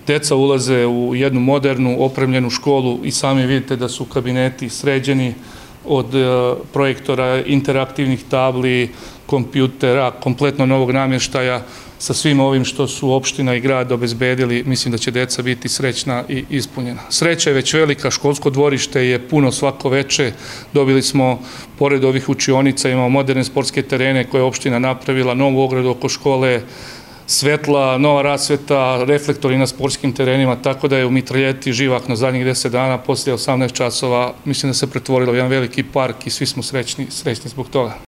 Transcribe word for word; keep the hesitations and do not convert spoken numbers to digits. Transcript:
Deca ulaze u jednu modernu, opremljenu školu i sami vidite da su kabineti sređeni od projektora, interaktivnih tabli, kompjutera, kompletno novog namještaja. Sa svim ovim što su opština i grad obezbedili, mislim da će deca biti srećna i ispunjena. Sreća je već velika, školsko dvorište je puno svako veče. Dobili smo, pored ovih učionica, imamo moderne sportske terene koje je opština napravila, novu ogradu oko škole, svetla, nova rasveta, reflektori na sportskim terenima, tako da je u Mitraljeti živahno zadnjih deset dana, poslije osamnaest časova, mislim da se pretvorilo u jedan veliki park i svi smo srećni, srećni zbog toga.